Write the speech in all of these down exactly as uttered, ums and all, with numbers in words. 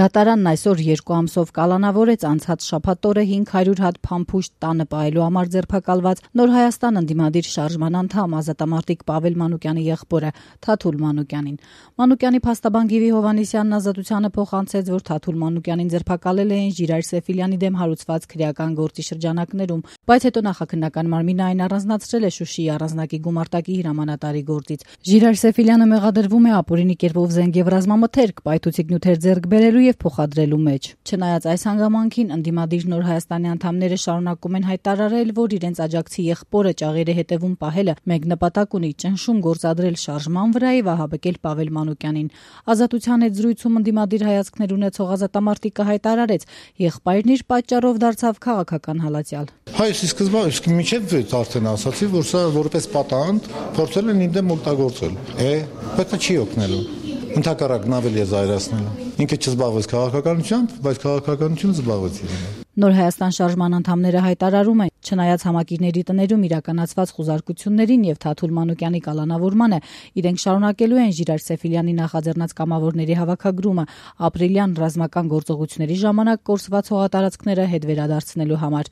Դատարանն այսօր երկու ամսով կալանավորեց անցած շաբաթ օրը հինգ հարյուր հատ փամփուշտ տանը պահելու համար ձերբակալված Նոր Հայաստան ընդդիմադիր շարժման անդամ ազատամարտիկ Պավել Մանուկյանի եղբորը Թաթուլ Մանուկյանին։ Մանուկյանի փաստաբան Գիվի Հովհաննիսյանն ազատությանը փոխանցեց, որ Թաթուլ Մանուկյանին ձերբակալել էին Ժիրայր Սեֆիլյանի դեմ հարուցված քրեական գործի շրջանակներում, բայց հետո նախաքննական մարմինը այն առանձնացրել է Շուշիի առանձնակի գումարտակի հրամանատարի գործից։ Ժիրայր Սեֆիլյանը մեղադրվում է ապօրինի կերպով զենք եւ ռազմամթերք, պայթուցիկ նյութեր ձեռք բերելու եւ փոխադրելու մեջ։ Չնայած այս հանգամանքին ընդդիմադիր Նոր Հայաստանի անդամները շարունակում են հայտարարել, որ իրենց աջակցի եղբորը ճաղերի հետևում պահելը մեկ նպատակ ունի՝ ճնշում գործադրել շարժման վրա եւ ահաբեկել Պավել Մանուկյանին։ Ազատության հետ զրույցում ընդդիմադիր հայացքներ ունեցող ազատամարտիկը հայտարարեց, եղբայրն իր պատճառով դարձավ քաղաքական հալածյալ։ Հայ սկզբը իսկ միջև արդեն ասացի, որ սա որպես պատանդ փորձել են իմ դեմ օգտագործել։ Է, բայց չի օգնելու։ Ընդհակառակն ավելի է զայրացնելու։ Ինքը չզբաղվեց քաղաքականությամբ, բայց քաղաքականությունը զբաղվեց իրեն։ Նոր Հայաստան շարժման անդամները հայտարարում են, չնայած համակիրների տներում իրականացված խուզարկություններին եւ Թաթուլ Մանուկյանի կալանավորմանը, իրենք շարունակելու են Ժիրայր Սեֆիլյանի նախաձեռնած կամավորների հավաքագրումը ապրիլյան ռազմական գործողությունների ժամանակ կորսված հողատարածքները հետ վերադարձնելու համար։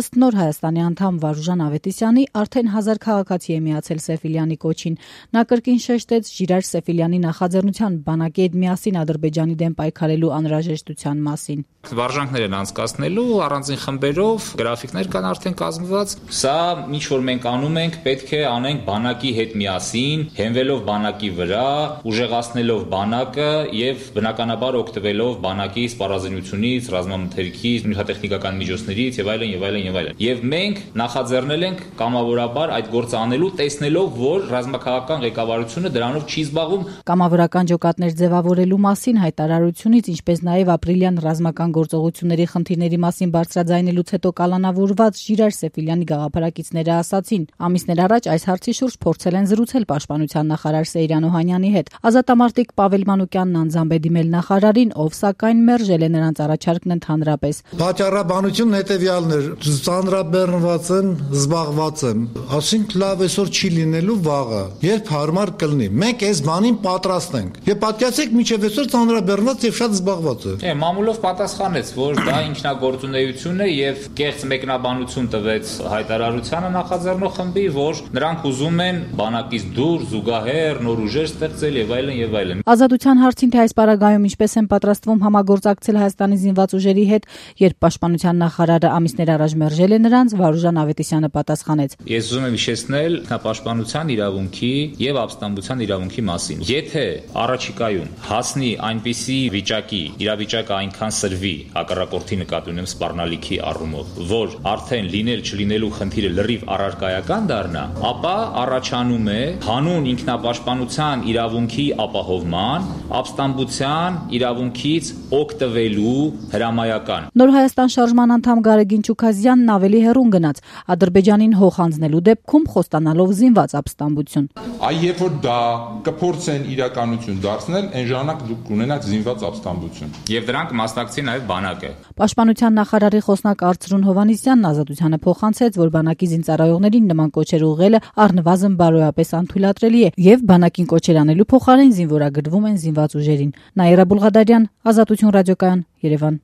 Ըստ Նոր Հայաստանի անդամ Վարուժան Ավետիսյանի, արդեն հազար քաղաքացի է միացել Սեֆիլյանի կոչին։ Նա կրկին շեշտեց Ժիրայր Սեֆիլյանի նախաձեռնության բանակի հետ միասին Ադրբեջանի դեմ պայքարելու անհրաժեշտության մասին։ Վարժանքներ են անցկացնելու առանձին խմբերով, գրաֆիկներ կան արդեն կազմված։ Սա ինչ որ մենք անում ենք, պետք է անենք բանակի հետ միասին, հենվելով բանակի վրա, ուժեղացնելով բանակը եւ բնականաբար օգտվելով բանակի սպառազինությունից, ռազմամթերքից, նյութատեխնիկական միջոցներից եւ այլն եւ այլն եւ այլն։ Եվ մենք նախաձեռնել ենք կամավորաբար այդ գործը անելու, տեսնելով, որ ռազմաքաղաքական ղեկավարությունը դրանով չի զբաղվում։ Կամավորական ջոկատներ ձևավորելու մասին հայտարարությունից, ինչպես նաեւ ապրիլյան ռազմական գործողությունների խնդիրների մասին բարձրաձայնելուց հետո կալանավորված Ժիրայր Սեֆիլյանի գաղափարակիցները ասացին, ամիսներ առաջ այս հարցի շուրջ փորձել են զրուցել պաշտպանության նախարար Սեյրան Օհանյանի հետ։ Ազատամարտիկ Պավել Մանուկյանն անձամբ է դիմել նախարարին, ով սակայն մերժել է նրանց առաջարկն ընդհանրապես։ Պատճառաբանությունն հետեւյալն էր՝ ծանրաբեռնված են, զբաղված եմ, ասենք լավ այսօր չի լինելու վաղը, երբ հարմար կլինի։ Մենք այս բանին պատրաստ ենք։ Եվ պատկերացեք, մինչև այսօր ծանրաբեռնված եւ շատ զբաղված է։ Է, մամուլով պատասխանեց, որ դա ինքնագործունեություն է եւ կեղծ մեկնաբանություն տվեց հայտարարությանը նախաձեռնող խմբի, որ նրանք ուզում են բանակից դուրս զուգահեռ նոր ուժեր ստեղծել եւ այլն եւ այլն։ Ազատության հարցին թե այս պարագայում ինչպես են պատրաստվում համագործակցել Հայաստանի զինված ուժերի հետ, երբ պաշտպանության նախարարը ամիսներ առաջ մերժել է նրանց, Վարուժան Ավետիսյանը պատասխանեց. Ես ուզում եմ հիշեցնել ինքնապաշտպանության իրավունքի եւ ապստամբության իրավունքի մասին։ Եթե առաջիկայում հասնի այնպիսի վիճակի, իրավիճակը այնքան սրվի, հակառակորդի նկատի ունեմ սպառնալիքի առումով, որ արդեն լինել չլինելու խնդիրը լրիվ առարկայական դառնա, ապա առաջանում է հանուն ինքնապաշտպանության իրավունքի ապահովման, ապստամբության իրավունքից օգտվելու հրամայական։ Նոր Հայաստան շարժման անդամ Գարեգին Չուքազյանն ավելի հեռուն գնաց, Ադրբեջանին հող հանձնելու դեպքում խոստանալով զինված ապստամբություն։ Այ երբ որ դա կփորձեն իրականություն դարձնել, այն ժամանակ դուք կունենաք զինված ապստամբություն։ Եվ դրանք մասնակցի նաև բանակը։ Պաշտպանության նախարարի խոսնակ Արծրուն Հովհաննիսյանն ազատությանը փոխանցեց, որ բանակի զինծառայողներին նման կոչեր ուղղելը առնվազն բարոյապես անթույլատրելի է եւ բանակին կոչեր անելու փոխարեն զինվորագրվում են զինված ուժերին։ Նաիրա Բուլղադարյան, Ազատություն ռադիոկայան, Երևան։